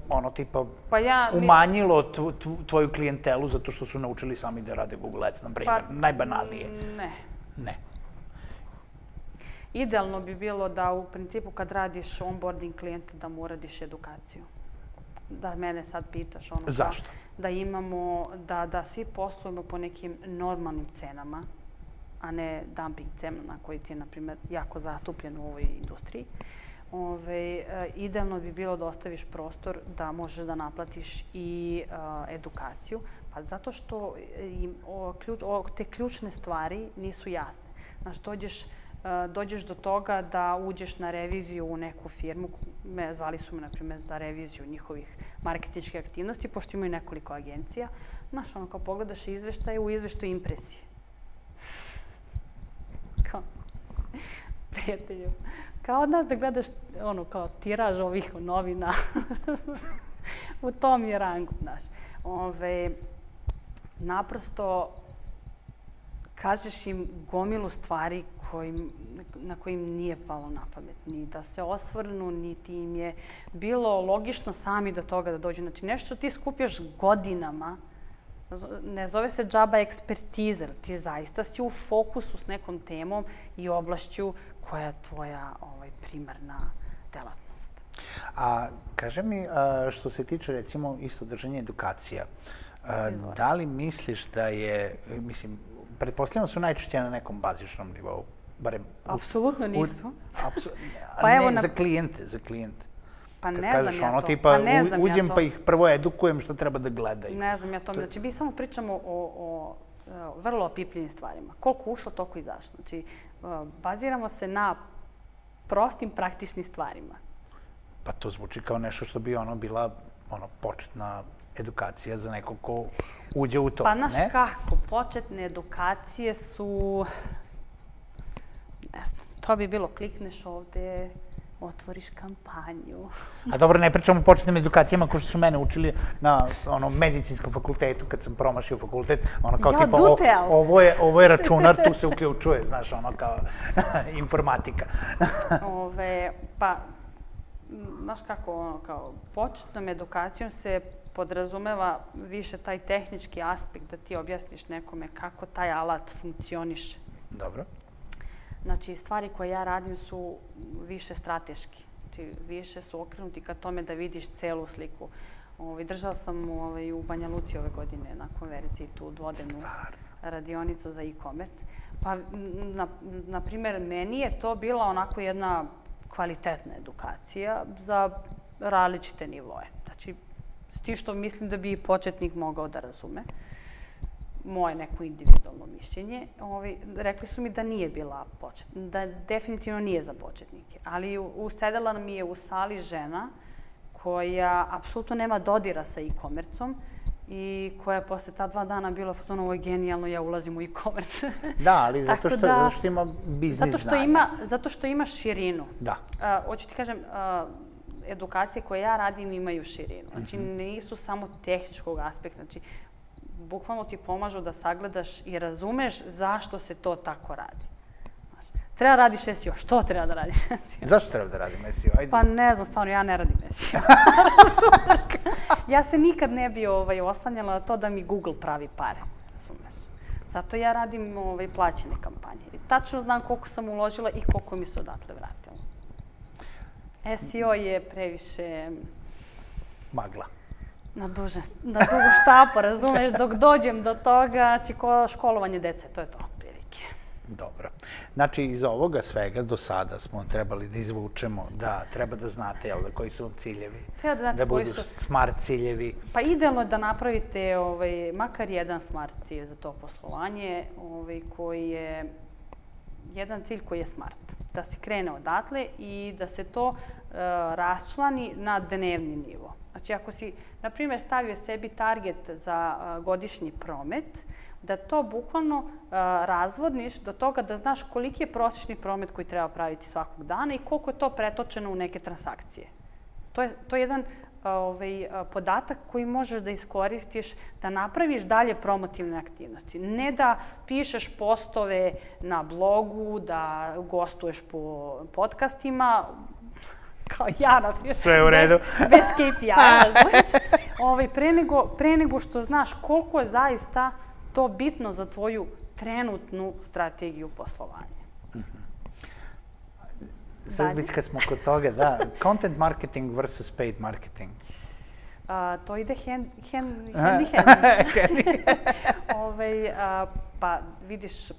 Speaker 2: ono tipa umanjilo tvoju klijentelu zato što su naučili sami da rade Google Ads, na primjer, najbanalnije?
Speaker 1: Ne.
Speaker 2: Ne.
Speaker 1: Idealno bi bilo da u principu kad radiš onboarding klijenta da mu uradiš edukaciju. Da mene sad pitaš ono...
Speaker 2: Zašto?
Speaker 1: Da imamo, da, da svi poslujemo po nekim normalnim cenama, a ne dumping cena koji ti je, na primjer, jako zastupljen u ovoj industriji. Ove, idealno bi bilo da ostaviš prostor da možeš da naplatiš i a, edukaciju, pa zato što im, o, ključ, o, te ključne stvari nisu jasne. Znaš, dođeš, a, dođeš do toga da uđeš na reviziju u neku firmu, me, zvali su me, na primjer, za reviziju njihovih marketinških aktivnosti, pošto imaju nekoliko agencija. Znaš, ono, kao pogledaš izveštaje, u izveštaju impresije. Kao, prijatelju. Kao od nas da gledaš ono, kao tiraž ovih novina. U tom je rangu, znaš. Ove, naprosto kažeš im gomilu stvari kojim, na kojim nije palo na pamet. Ni da se osvrnu, niti im je bilo logično sami do toga da dođu. Znači nešto što ti skupljaš godinama, ne zove se džaba ekspertiza, ti zaista si u fokusu s nekom temom i oblašću koja je tvoja ovaj, primarna delatnost.
Speaker 2: A kaže mi, a, što se tiče recimo isto držanja edukacija, a, da li misliš da je, mislim, pretpostavljamo su najčešće na nekom bazičnom nivou, barem...
Speaker 1: Apsolutno nisu.
Speaker 2: Apsu, pa ne, na... za klijente, za klijente.
Speaker 1: Pa ne
Speaker 2: Kad
Speaker 1: znam
Speaker 2: kažeš,
Speaker 1: ja
Speaker 2: ono,
Speaker 1: to.
Speaker 2: tipa,
Speaker 1: Pa ne znam
Speaker 2: uđem
Speaker 1: ja to.
Speaker 2: Pa ih prvo edukujem što treba da gledaju.
Speaker 1: Ne znam ja to. Znači, mi samo pričamo o, o, o vrlo opipljivim stvarima. Koliko ušlo, toliko izašlo. Znači, baziramo se na prostim, praktičnim stvarima.
Speaker 2: Pa to zvuči kao nešto što bi ono bila ono, početna edukacija za nekog ko uđe u to,
Speaker 1: pa, znaš
Speaker 2: ne?
Speaker 1: kako, početne edukacije su... Ne znam, to bi bilo klikneš ovde, otvoriš kampanju.
Speaker 2: A dobro, ne pričamo o početnim edukacijama kao što su mene učili na ono, medicinskom fakultetu, kad sam promašio fakultet, ono kao
Speaker 1: ja,
Speaker 2: tipa, o, ovo, je, ovo je računar, tu se uključuje, znaš, ono kao informatika.
Speaker 1: Ove, pa, znaš kako, ono, kao početnom edukacijom se podrazumeva više taj tehnički aspekt da ti objasniš nekome kako taj alat funkcioniše.
Speaker 2: Dobro.
Speaker 1: Znači, stvari koje ja radim su više strateški. Znači, više su okrenuti ka tome da vidiš celu sliku. Ovaj, držala sam ovaj, u Banja Luci ove godine na konverziji tu dvodnevnu radionicu za e-commerce. Pa, na, na primjer, meni je to bila onako jedna kvalitetna edukacija za različite nivoe. Znači, s tim što mislim da bi i početnik mogao da razume. Moje neko individualno mišljenje. Ovi, rekli su mi da nije bila početna, da definitivno nije za početnike. Ali usedela mi je u sali žena koja apsolutno nema dodira sa e-commerceom i koja je posle ta dva dana bila ono, ovo je genijalno, ja ulazim u e-commerce.
Speaker 2: Da, ali zato što, da, zato što ima biznis
Speaker 1: zato što
Speaker 2: znanja.
Speaker 1: Ima, zato što ima širinu.
Speaker 2: Da.
Speaker 1: Uh, hoću ti kažem, uh, edukacije koje ja radim imaju širinu. Znači, mm-hmm. nisu samo tehničkog aspekta. Znači, bukvalno ti pomažu da sagledaš i razumeš zašto se to tako radi. Znaš, treba radiš S E O. Što treba da radiš S E O?
Speaker 2: Zašto treba da radim S E O? Ajde.
Speaker 1: Pa ne znam, stvarno, ja ne radim S E O. Ja se nikad ne bi ovaj, oslanjala na to da mi Google pravi pare. Razumeš? Zato ja radim ovaj, plaćene kampanje. I tačno znam koliko sam uložila i koliko mi se odatle vratilo. S E O je previše...
Speaker 2: Magla.
Speaker 1: Na, duže, na dugu štapu, razumeš, dok dođem do toga, znači ko školovanje dece, to je to otprilike.
Speaker 2: Dobro. Znači, iz ovoga svega do sada smo trebali da izvučemo da treba da znate, jel da, koji su ciljevi,
Speaker 1: treba da, znate
Speaker 2: da budu
Speaker 1: koji su...
Speaker 2: smart ciljevi.
Speaker 1: Pa idealno je da napravite ovaj, makar jedan smart cilj za to poslovanje, ovaj, koji je jedan cilj koji je smart. Da se krene odatle i da se to uh, raščlani na dnevni nivo. Znači, ako si, na primjer, stavio sebi target za uh, godišnji promet, da to bukvalno uh, razvodniš do toga da znaš koliki je prosječni promet koji treba praviti svakog dana i koliko je to pretočeno u neke transakcije. To je, to je jedan uh, ovaj, uh, podatak koji možeš da iskoristiš da napraviš dalje promotivne aktivnosti. Ne da pišeš postove na blogu, da gostuješ po podcastima, kao ja, na primjer,
Speaker 2: sve u redu.
Speaker 1: Bez, bez K P I-a, razumiješ? Ovaj, pre, nego, pre nego što znaš koliko je zaista to bitno za tvoju trenutnu strategiju poslovanja.
Speaker 2: Mm-hmm. Sad već kad smo kod toga, da, content marketing versus paid marketing.
Speaker 1: To ide hand in hand. Pa vidiš,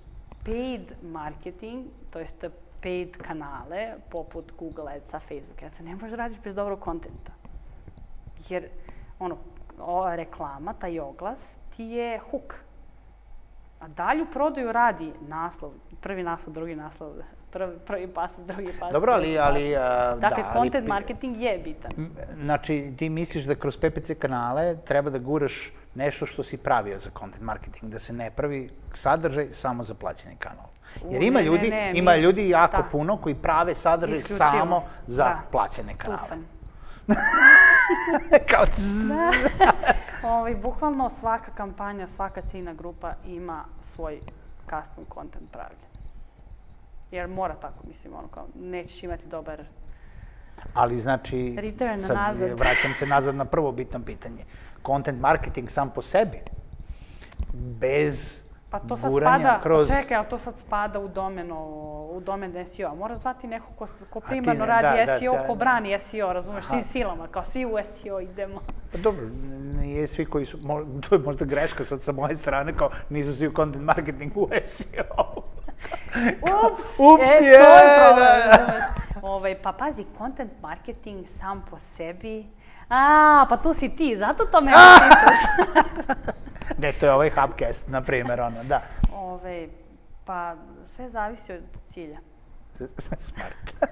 Speaker 1: paid marketing, to jest paid kanale, poput Google Adsa, Facebook Adsa, ne možeš radiš bez dobrog kontenta. Jer, ono, ova reklama, taj oglas, ti je hook. A dalju prodaju radi naslov, prvi naslov, drugi naslov, prvi pas, drugi pas.
Speaker 2: Dobro, ali...
Speaker 1: Dakle, content marketing je bitan.
Speaker 2: Znači, ti misliš da kroz P P C kanale treba da guraš nešto što si pravio za content marketing, da se ne pravi sadržaj samo za plaćeni kanal. Jer ima ljudi, ima ljudi jako puno koji prave sadržaj samo za plaćene kanale.
Speaker 1: Tu sam.
Speaker 2: Kao...
Speaker 1: Bukvalno svaka kampanja, svaka ciljna grupa ima svoj custom content pravljen. Jer mora tako, mislim, ono kao, nećeš imati dobar...
Speaker 2: Ali znači, sad vraćam se nazad na prvo bitno pitanje. Content marketing sam po sebi, bez guranja kroz...
Speaker 1: Pa čekaj, ali to sad spada u domen S E O. Moraš zvati neko ko primarno radi S E O, ko brani S E O, razumeš, svim silama, kao svi u S E O idemo.
Speaker 2: Pa dobro, nije svi koji su, to je možda greška sad sa moje strane, kao nisu svi u content marketingu u S E O.
Speaker 1: Ups, e, to je problem, razumeš. Pa pazi, content marketing sam po sebi... A, pa tu si ti, zato to me pitaš.
Speaker 2: Ne, to je ovaj Hubcast, na primjer, ono, da.
Speaker 1: Pa sve zavisi od cilja.
Speaker 2: Smart.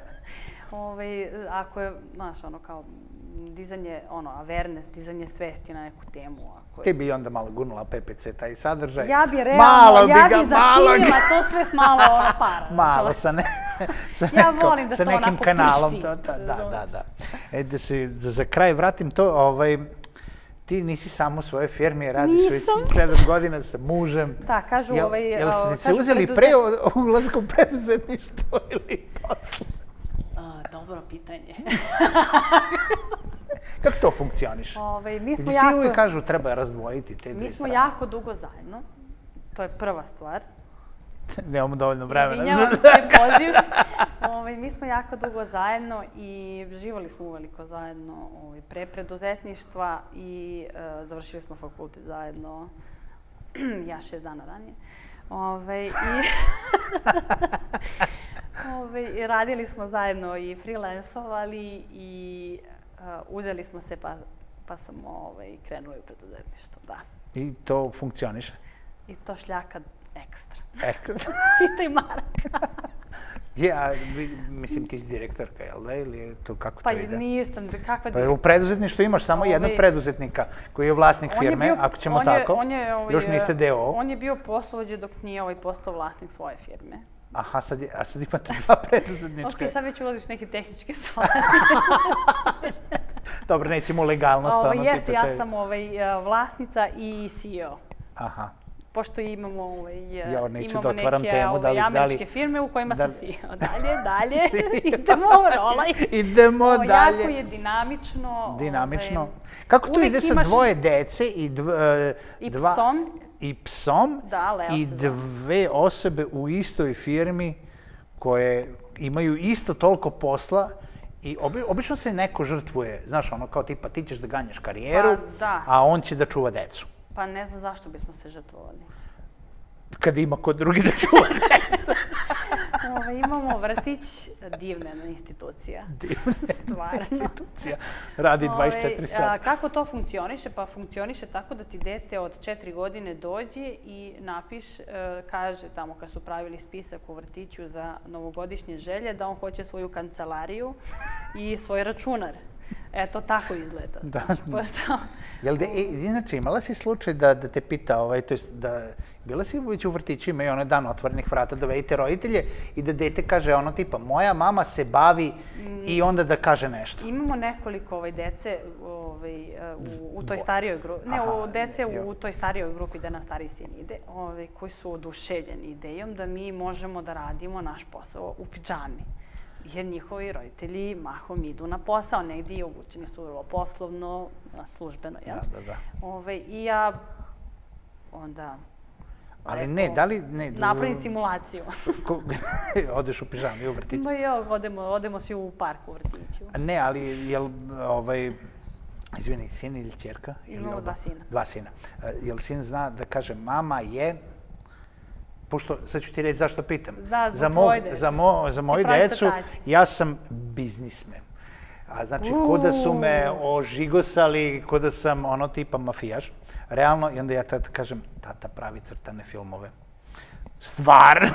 Speaker 1: Ako je, znaš, ono kao dizanje, ono, awareness, dizanje svesti na neku temu.
Speaker 2: Ti bi onda malo gurnula P P C, taj sadržaj.
Speaker 1: Ja bi realno, ja bi zaciljila to sve s malo para.
Speaker 2: Malo, sa nekim kanalom. Da, da, da. E, da se za kraj vratim to, ti nisi samo u svojoj firmi, radiš već sedam godina sa mužem.
Speaker 1: Da, kažu ovaj...
Speaker 2: Jel ste se uzeli pre ulazka u preduzetništvo ili posle?
Speaker 1: Dobro pitanje.
Speaker 2: Kako to funkcioniše? Svi uvijek kažu treba razdvojiti te dve strane.
Speaker 1: Mi smo jako dugo zajedno. To je prva stvar.
Speaker 2: Nemamo dovoljno vremena.
Speaker 1: Izvinjavam se, poziv. Mi smo jako dugo zajedno i živali smo uveliko zajedno pre preduzetništva i završili smo fakultet zajedno. Ja šest dana ranije. I radili smo zajedno i freelancovali i uzeli smo se pa sam krenuli u preduzetništvo, da.
Speaker 2: I to funkcioniše?
Speaker 1: I to šljaka ekstra.
Speaker 2: Ekstra?
Speaker 1: Pitaj Marka.
Speaker 2: Ja, mislim, ti si direktorka, jel da? Ili je to kako to ide?
Speaker 1: Pa nisam, kakva
Speaker 2: direktorka? Pa u preduzetništvu imaš samo jednog preduzetnika koji je vlasnik firme, ako ćemo tako. Još niste D O O.
Speaker 1: On je bio poslovođe dok nije postao vlasnik svoje firme.
Speaker 2: Aha, sad imate dva preduzetnička.
Speaker 1: Ok, sad već ulaziš neke tehničke stvari.
Speaker 2: Dobro, nećemo legalnost.
Speaker 1: Jeste, ja sam vlasnica i C E O.
Speaker 2: Aha.
Speaker 1: Pošto imamo
Speaker 2: neke
Speaker 1: američke firme u kojima sam C E O. Dalje, dalje, idemo, rolaj.
Speaker 2: Idemo dalje.
Speaker 1: Jako je dinamično.
Speaker 2: Dinamično. Kako to ide sa dvoje dece i
Speaker 1: psom?
Speaker 2: I psom i dve osobe u istoj firmi koje imaju isto toliko posla i obično se neko žrtvuje, znaš, ono kao tipa ti ćeš da ganjaš karijeru, a on će da čuva decu.
Speaker 1: Pa ne znam zašto bismo se žrtvovali.
Speaker 2: Kad ima kod drugi da čuva decu.
Speaker 1: Imamo vrtić, divna institucija.
Speaker 2: Divna institucija. Radi dvadeset četiri sata.
Speaker 1: Kako to funkcioniše? Pa funkcioniše tako da ti dete od četiri godine dođe i napiš, kaže tamo kad su pravili spisak u vrtiću za novogodišnje želje, da on hoće svoju kancelariju i svoj računar. Eto, tako izgleda.
Speaker 2: Inače, imala si slučaj da te pita, to je da bila si već u vrtiću, imaju onaj dan otvorenih vrata, dovedite roditelje i da dete kaže ono tipa, moja mama se bavi i onda da kaže nešto.
Speaker 1: Imamo nekoliko dece u toj starijoj grupi, ne, dece u toj starijoj grupi gde nam stariji sin ide, koji su oduševljeni idejom da mi možemo da radimo naš posao u pidžami. Jer njihovi roditelji mahom idu na posao, negdje obučeni su vrlo poslovno, službeno, jel?
Speaker 2: Da, da, da.
Speaker 1: I ja onda...
Speaker 2: Ali ne, da li... Ne,
Speaker 1: napravim simulaciju.
Speaker 2: Odeš u pižami u vrtiću?
Speaker 1: Ma jo, odemo, odemo svi u parku u vrtiću.
Speaker 2: Ne, ali jel, ovaj, izvini, sin ili ćerka?
Speaker 1: Imamo dva sina.
Speaker 2: Dva sina. Jel sin zna da kaže mama je... Pošto, sad ću ti reći zašto pitam.
Speaker 1: Da,
Speaker 2: za
Speaker 1: tvoje decu.
Speaker 2: Za, mo, za moju decu, ja sam biznismen. A znači, ko da su me ožigosali, ko da sam ono tipa mafijaš. Realno, i onda ja tada kažem, tata pravi crtane filmove. Stvar!
Speaker 1: Ne,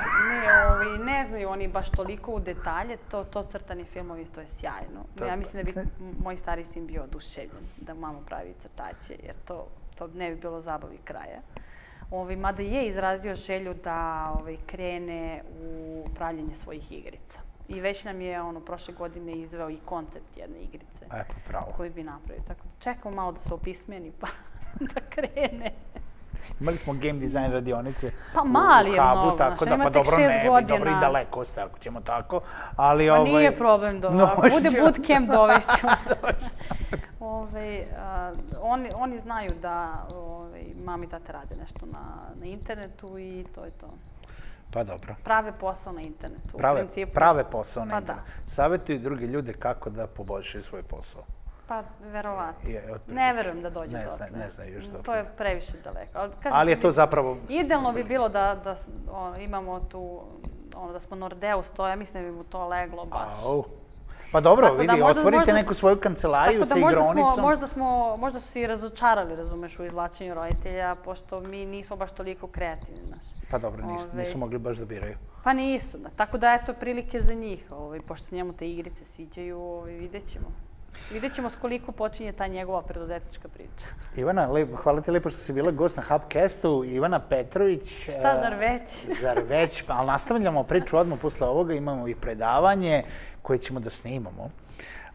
Speaker 1: ovi, ne znaju oni baš toliko u detalje, to, to crtani filmovi, to je sjajno. Ja mislim da bi moj stari sin bio oduševljen da mama pravi crtaće, jer to, to ne bi bilo zabavi kraja. Ovi, mada je izrazio želju da ovi, krene u pravljenje svojih igrica. I već nam je ono, prošle godine izveo i koncept jedne igrice.
Speaker 2: E, pa pravo.
Speaker 1: Koju bi napravio. Tako da čekamo malo da se opismeni pa da krene.
Speaker 2: Imali smo game design radionice
Speaker 1: pa mali
Speaker 2: u
Speaker 1: je
Speaker 2: Habu,
Speaker 1: mnogo,
Speaker 2: tako da, pa dobro ne bi, dobro i daleko ste, ako ćemo tako, ali
Speaker 1: pa
Speaker 2: ovaj...
Speaker 1: nije problem, do, ako bude bootcamp dovešću. Ove, a, oni, oni znaju da ove, mami i tate rade nešto na, na internetu i to je to.
Speaker 2: Pa dobro.
Speaker 1: Prave posao na internetu.
Speaker 2: Prave,
Speaker 1: u principu,
Speaker 2: prave posao na
Speaker 1: pa
Speaker 2: internetu.
Speaker 1: Da.
Speaker 2: Savjetuju druge ljude kako da poboljšaju svoj posao.
Speaker 1: Pa, verovatno. Ne verujem da dođe
Speaker 2: ne
Speaker 1: do
Speaker 2: zna,
Speaker 1: toga.
Speaker 2: Ne znaju još dobro.
Speaker 1: To je previše daleko. Ali, kažem,
Speaker 2: ali je to zapravo...
Speaker 1: Idealno bi bilo da, da o, imamo tu, ono, da smo Nordeus, to ja mislim da bi mu to leglo baš.
Speaker 2: Au. Pa dobro,
Speaker 1: tako
Speaker 2: vidi,
Speaker 1: da možda,
Speaker 2: otvorite
Speaker 1: možda,
Speaker 2: neku svoju kancelariju sa
Speaker 1: možda
Speaker 2: igronicom.
Speaker 1: Smo, možda, smo, možda su se i razočarali, razumeš, u izvlačenju roditelja, pošto mi nismo baš toliko kreativni, znaš.
Speaker 2: Pa dobro, nisu,
Speaker 1: Ove,
Speaker 2: nisu mogli baš da biraju.
Speaker 1: Pa nisu, da. Tako da eto prilike za njih, ovaj, pošto njemu te igrice sviđaju, ovaj, vidjet ćemo. Vidjet ćemo s koliko počinje ta njegova preduzetnička priča.
Speaker 2: Ivana, lep, hvala ti lepo što si bila gost na Hubcastu. Ivana Petrović.
Speaker 1: Šta, zar već?
Speaker 2: Zar već, ali nastavljamo priču odmah posle ovoga. Imamo i predavanje koje ćemo da snimamo.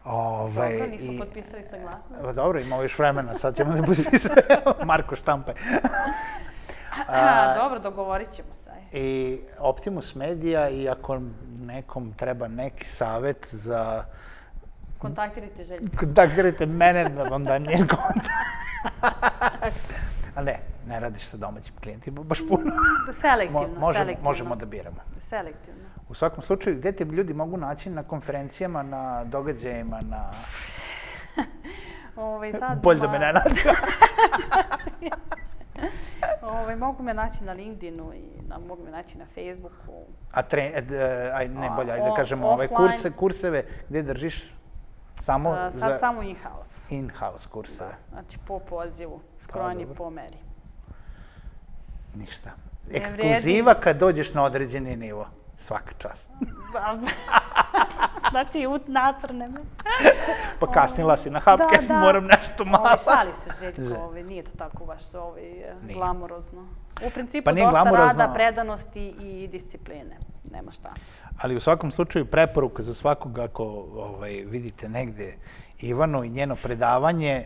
Speaker 1: Ovaj, dobro, nismo i, potpisali saglasnost.
Speaker 2: Dobro, imamo još vremena, sad ćemo da potpisati Marko Štampe.
Speaker 1: A, dobro, dogovorit ćemo se.
Speaker 2: I Optimus Media, i ako nekom treba neki savjet za...
Speaker 1: Kontaktirajte Željka.
Speaker 2: Kontaktirajte mene da vam dam njen kontakt. A ne, ne radiš sa domaćim klijentima, baš puno.
Speaker 1: Selektivno,
Speaker 2: možemo,
Speaker 1: selektivno.
Speaker 2: Možemo da biramo.
Speaker 1: Selektivno.
Speaker 2: U svakom slučaju, gde te ljudi mogu naći na konferencijama, na događajima, na...
Speaker 1: Ovaj, sad
Speaker 2: bolje da me ne nađu.
Speaker 1: Ove, mogu me naći na LinkedInu i na, mogu me naći na Facebooku.
Speaker 2: A tre, aj, ne bolje, ajde da kažemo, ove kurse, kurseve, gde držiš? Samo
Speaker 1: uh, sad
Speaker 2: za...
Speaker 1: samo in-house.
Speaker 2: In-house kurseve.
Speaker 1: Da, znači po pozivu, skrojeni po meri.
Speaker 2: Ništa. Ekskluziva kad dođeš na određeni nivo. Svaka čast.
Speaker 1: Znači, nacrne me.
Speaker 2: Pa kasnila si na Hubcast, moram nešto malo.
Speaker 1: Ovo, šali se Željko, ovo, nije to tako baš ovo, glamurozno. U principu dosta rada, predanosti i discipline. Nema šta.
Speaker 2: Ali u svakom slučaju preporuka za svakog ako ovaj, vidite negde Ivanu i njeno predavanje,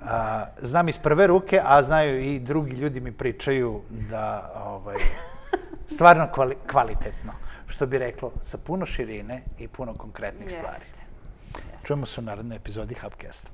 Speaker 2: a, znam iz prve ruke, a znaju i drugi ljudi mi pričaju da ovaj, stvarno kvali, kvalitetno, što bi reklo, sa puno širine i puno konkretnih stvari. Čujemo se u narednoj epizodi Hubcasta.